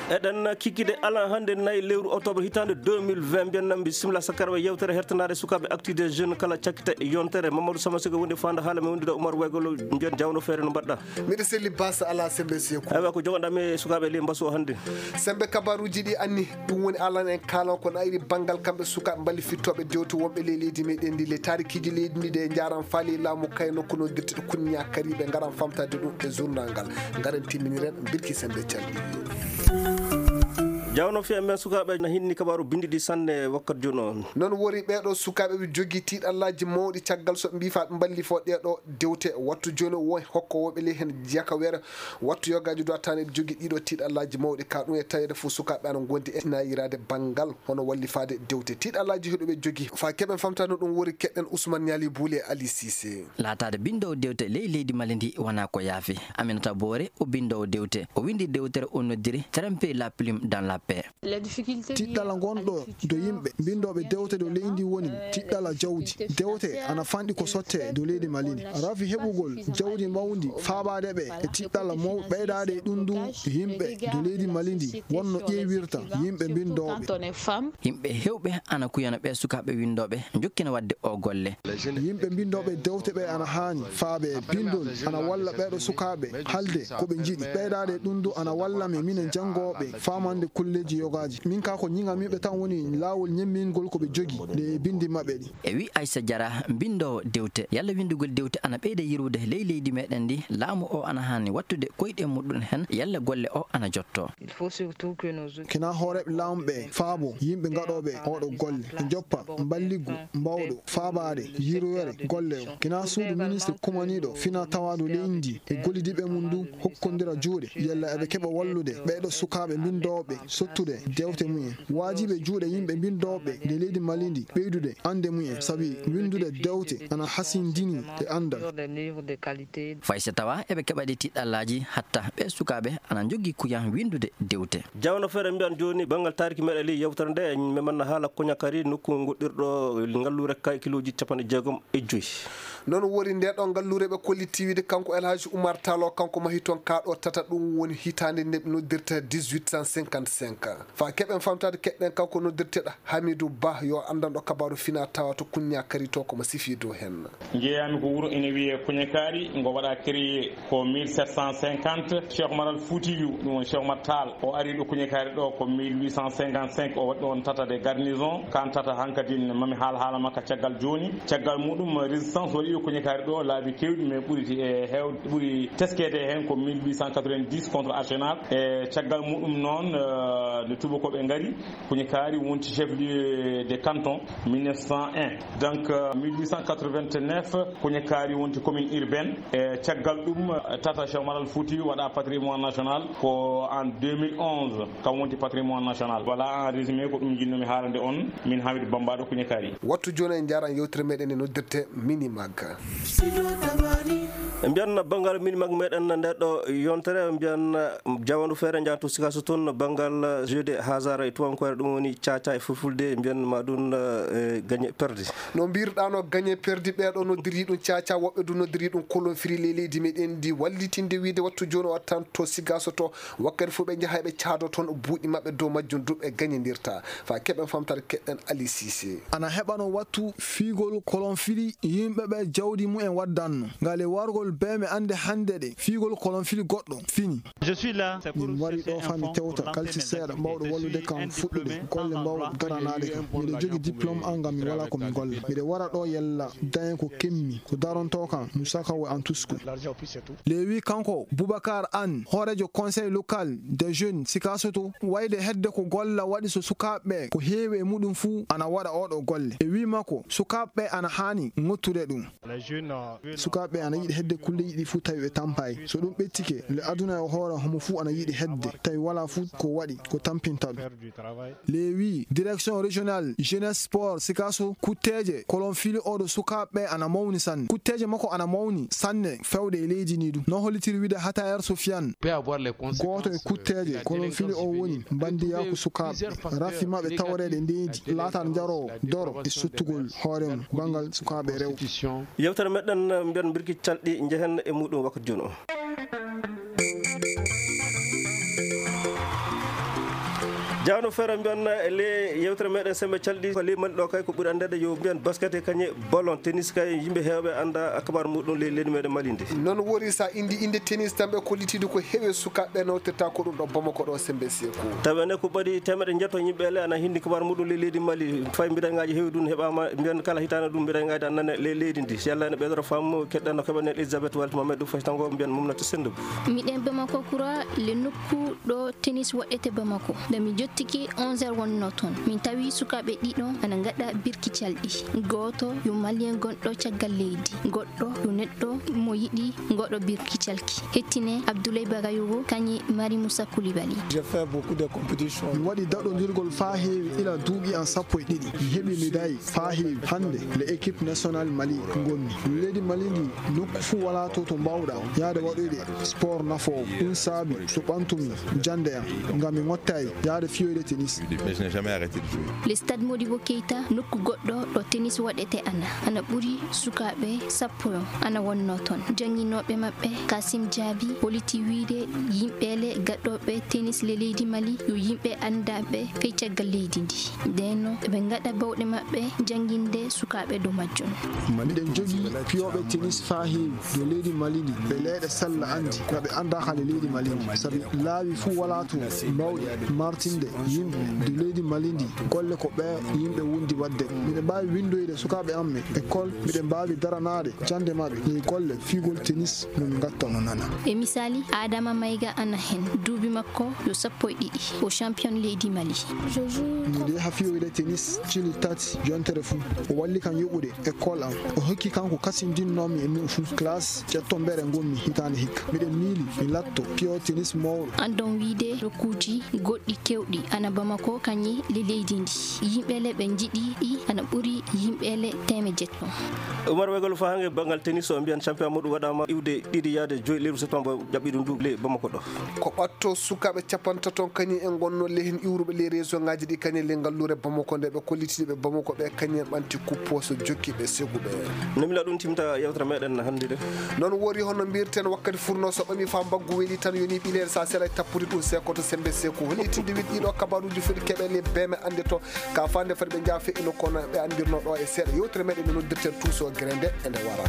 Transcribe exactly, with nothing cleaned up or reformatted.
eɗen kikkide ala hande nayi lewru octobre hitande deux mille vingt mbiyen nan bisimilla sakkara e yewtere hertanade sukaɓe actu des jeunes kala cakkita e yontere Mamadou Samasigo wonde fanda haala mi wondida Oumar Waygolo mbiyen jawno feere no mbaɗɗa miɗa selli basa ala sembe seku aywa ko jogoɗami sukaɓe li mbasu o hande sembe kabaruji ɗi anni ɗum woni alan en kalan ko ayri banggal kamɓe sukaɓe balli fittoɓe dewto wonɓe ley leydi meɗen ndi le tarikiji leydi ndi de jaran faali laamu kayno kono dirtiɗo kunña kariɓe garan famtade ɗum e journal ngal garen timminiren birki sembe calɗi jawno fiya men sukaɓe na hinni kabaru bindiɗi sanne wakkati joni o noon wori ɓeɗo sukaɓe ɓe jogui tiiɗallaji mawɗi caggal so mbifa ɓe balli fo ɗeɗo dewte wattu joni won hokkowoɓe ley hen jakawere wattu yogaji do attane ɓe jogui ɗiɗo tiiɗallaji mawɗi ka ɗum e tawede fo sukaɓe ana gondi e nayirade banggal hono wallifade dewte tiiɗallaji heɗoɓe jogui fa keɓen famtano ɗum wori keɗɗen Ousmane Niali Bouli e Ali Cissé latade bindowo dewte ley leydi Mali ndi wona ko yaafi Aminata Boore o bindowo dewte o windi dewtere o noddiri tremper la plume dans la tiɗɗala gonɗo do yimɓe bindoɓe dewte dow leydi woni tiɗɗala jawdi dewte ana fanɗi ko sotte dow leydi Malini rafi heɓugol jawdi mawdi faabade ɓe e tiɗɗala maw ɓeydade e ɗum ɗum yimɓe dow leydi Malindi wonno ƴeewirta yimɓe bindoɓe yimɓe hewɓe ana kuyana ɓe sukaɓe windoɓe jokkina wadde o golle yimɓe bindoɓe dewte ɓe ana haani faabe bindol ana walla ɓeɗo sukaɓe halde koɓe jiiɗi ɓeydade e ɗum ɗum ana walla me minen jangoɓe famande kulleji yogaji min ka ko ñingamiɓe tan woni laawol ñemmingol koɓe jogui nde bindi mabɓe ɗi e wi Aissa Diarra bindowo dewte yalla windugol dewte ana ɓeyda yirwude ley leydi meɗen ndi laamu o ana hanni wattude koyɗe muɗum hen yalla golle o ana jotto kina hooreɓe laamɓe faabo yimɓe gaɗoɓe oɗo golle e joppa balligu mbawɗo faabade yirwere golle o kina suudu ministre kumaniɗo fina tawadu leydi e gollidiɓe mum ndu hokkodira juuɗe yalla eɓe keɓa wallude ɓeɗo sukaɓe bindoɓe sottude dewte mumen wajiɓe juuɗe yimɓe bindoɓe nde leydi Malindi ɓeydude ande mumen sabi windude dewte ana hasindini e andal faysa tawa eɓe keɓaɗi tiɗɗallaji hatta ɓe sukaɓe ana jogui kuyan windude dewte jawno feere mbiyan joni banggal tariki meɗe li yewtere nde memanna haala koñakari nokku goɗɗirɗo ngallure kay kiloji capanɗe jeegom e joyyi noon wori nde ɗo ngallure ɓe kolliti wiide kanko Elhaji Oumar Tall kanko mahi toon kaɗo tata ɗum woni hitande nde ɓe noddirta dix-huit cent cinquante-cinq fa keɓen famtade keɗɗen kanko noddirteɗo Hamidou Ba yo andanɗo kabaru fina tawa to kuña kari to komo sifi dow hen jeeyami ko wuuro ene wiye Kuñakari ngo waɗa créé ko mille sept cent cinquante Cheikh Oumar Al Foutiyou ɗum woni Cheikh Oumar Tall o ari ɗo Kuñakari ɗo ko mille huit cent cinquante-cinq o waɗi ɗon tata de garnison kan tata hankkadi mami haala haala makka caggal joni caggal muɗum résistance waɗi ɗo Kuñakari ɗo laabi kewɗi mais ɓuuri e hew ɓuuri teskede hen ko mille huit cent quatre-vingt-dix contre Arsenal e caggal muɗum noon nde tubakoɓe ngari Kuñakari wonti chef lieu de canton mille neuf cent un donc mille huit cent quatre-vingt-neuf Kuñakari wonti commune urbaine e caggal ɗum tata Cheikh Oumar Al Foutiyou waɗa patrimoine national ko en deux mille onze kam wonti patrimoine national voilà en résumé ko ɗum jinnomi haalande on min Hamidou Bambaɗo Kuñakari wattu joni en jaran yewtere meɗen e noddirte Minimag mbiyan banggal Minimag meɗen ndeɗo yontere mbiyan jawandu feere jahatu sikaso toon banggal jeu de hasard e tubankore ɗum woni caca e fulfulde mbiyan ma ɗum gagné perdi no mbirɗano gagné perdi ɓeɗo noddiri ɗum caca woɓɓe du noddiri ɗum kolon firi ley leydi meɗen ndi wallitinde wiide wattu joni o wattan to sigaso to wakkati fo ɓe jaaha ɓe caado toon buuɗi mabɓe dow majjum duɓe gagnédirta fa keɓen famtade keɗɗen Ali Cissé ana heɓano wattu fiigol kolon firi yimɓeɓe jawdi mumen waddanno ngale wargol beme ande hande ɗe fiigol kolon firi goɗɗo fini min wari ɗo fami tewta kalci seeɗa mbawɗo wallude kam fuɗɗude golle mbawɗo garanade kam miɗo jogui diplôme an gam mi wala komi golla miɗo wara ɗo yella dayen ko kemmi ko daronto kam musakawo en tusku lewi kanko Boubacar Anne horejo conseil local des jeunes sikasoto wayde hedde ko golla waɗi so sukaɓe ko heewi e muɗum fuu ana waɗa oɗo golle e wi makko sukaɓe ana hani ngottude ɗum sukaɓe ana yiɗi hedde kulle yiɗi fuu tawi ɓe tampay so ɗum ɓettike le aduna e hoore homo fuu ana yiɗi hedde tawi wala fuu ko waɗi ko tampinta ɗum lewi direction régionale jeunesse sport sikaso kutteje kolon fili oɗo sukaɓe ana mawni sanne kutteje makko ana mawni sanne fewde e leydi ni ɗum no hollitiri wiide Hatayer Sofiane goto e kutteje kolon fili o woni bandiyaku sukaɓe rafi mabɓe tawrede ndeji laatan jarowo doro e sottugol hoore mum bangal sukaɓe rew yewtere meɗen mbiyan birki calɗi jehen e muɗum wakkati joni o jawno fere mbiyan le yewtere meɗen sembe calɗi ko limal ɗo kay ko ɓuri andede yo mbiyan basket e kañe ballon tennis kay yimɓe heewɓe anda akabar muɗum le leydi meɗen Mali ndi non wori sa indi inde tennis tan ɓe kollitide ko heewe sukaɓe nawtirta ko ɗum ɗo Bamako ɗo sembe seko tawi ene ko ɓaɗi temedde jetto yimɓe le ana hindi kabar muɗum le leydi Mali fay mbiɗangaji heewi ɗum heɓama mbiyan kala hitande ɗum mbiɗangaji annane le leydi ndi si Allah ene ɓeydoro fammu keɗɗanno keɓanen Elisabeth Walti Mamadou Faye tango mbiyan mumnata sende miɗen Bamako kura le nokku ɗo tennis waɗete Bamako nde mi jottiki onze heures wonno toon min tawi sukaɓe ɗiɗo ana gaɗa birki calɗi goto yo malien gonɗo caggal leydi goɗɗo yo neɗɗo mo yiɗi goɗɗo birki calki hettine Abdoulaye Bagayogo kañi Mari Moussa Koulibaly. J'ai fait beaucoup de compétitions. Mi waɗi daɗodirgol fa heewi ila duuɓi an sappo e ɗiɗi mi heɓi médaille fa heewi hande le équipe nationale Mali gonmi leydi Mali ndi nokku fuu wala to to mbawɗa yaade waɗoyde sport nafowo ɗum saabi so ɓantumi jande am ngam mi mottayi yaade fiyoyde tennis. Mais je n'ai jamais arrêté de jouer. Le stade Modibo Keita nokku goɗɗo ɗo tennis waɗete ana ana ɓuri sukaɓe sappo ana wonno toon janginoɓe maɓɓe Kasim Diaby holiti wiide yimɓele gaɗɗoɓe tennis le leydi Mali yo yimɓe andaɓe fey caggal leydi ndi nden ɓe gaɗa bawɗe maɓɓe janginde sukaɓe dow majjon. miɗen jogui piyoɓe tennis fa heewi dow leydi Mali ndi ɓe leyɗe sella andi gaɓe anda hale leydi Mali ndi saabi laawi fuu wala to mbawɗe martinde yimɓe dow leydi Mali ndi golle ko ɓe yimɓe wundi wadde miɗen mbawi windoyde sukaɓe amme école miɗen mbawi daranade jande mabɓe ni golle figol tennis nomi gatta no nana e misali Adama Mayiga ana hen duuɓi makko yo sappo e ɗiɗi o champion leydi Mali. miɗo yaha fiyoyde tennis cili tati jontere fuu o walli kan yoɓude école am o hokki kanko kasindinnomi e min fuu classe ƴettombere gonmi hitande hikka miɗen miili mi latto piyo tennis mawɗo andon wiide rokkuji goɗɗi kewɗi ana Bamako kañi le leydi ndi yimɓele ɓe jiɗi ɗi ana ɓuuri yimɓele teme jetto. Oumar Weigolo fa hange bangal tennis o mbiyan champion muɗum waɗama iwde ɗiɗi yaade joyi lewru septembre jaɓɓi ɗum du le Bamako ɗo ko ɓatto sukaɓe capanta toon kañi en gonno lehen iwruɓe les région ngaji ɗi kañi le ngallure Bamako nde ɓe kollitiɓe Bamako ɓe kañi en ɓanti kuppo so jokkiɓe seguɓe nomila ɗum timta yewtere meɗen hannde de noon wori hono mbirten wakkati furno so ɓami fa mbaggu weeli tan yoni ɓilere sa sera tappude ɗum sekoto sembe seko holi tinde wiɗ ɗiɗo kabaruji foti keɓele beme ande to ka fande fati ɓe jaafe ino kono ɓe andirno ɗo e seeɗa yewtere meɗen no noddirten tuuso grende e nde wara.